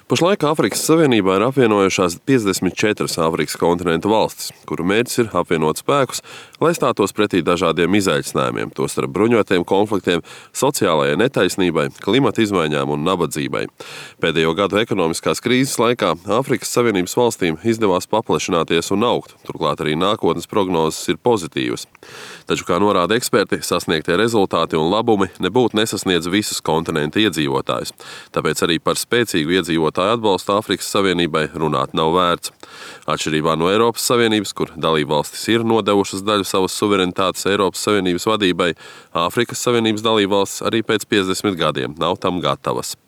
Pašlaik Āfrikas Savienībā ir apvienojušās 54 Āfrikas kontinenta valstis, kuru mērķis ir apvienot spēkus, lai stātos pretī dažādiem izaicinājumiem, tostarp bruņotiem konfliktiem, sociālajai netaisnībai, klimata izmaiņām un nabadzībai. Pēdējo gadu ekonomiskās krīzes laikā Āfrikas Savienības valstīm izdevās paplašināties un augt, turklāt arī nākotnes prognozes ir pozitīvas. Taču, kā norāda eksperti, sasniegtie rezultāti un labumi nebūtu nesasniedz visus kontinenta iedzīvotājus. Tāpēc arī par spēcīgu iedzīvotāju atbalstu Āfrikas Savienībai runāt nav vērts. Atšķirībā no Eiropas Savienības, kur dalībvalstis ir nodevušas daļu savas suverenitātes Eiropas Savienības vadībai, Āfrikas Savienības dalībvalstis arī pēc 50 gadiem nav tam gatavas.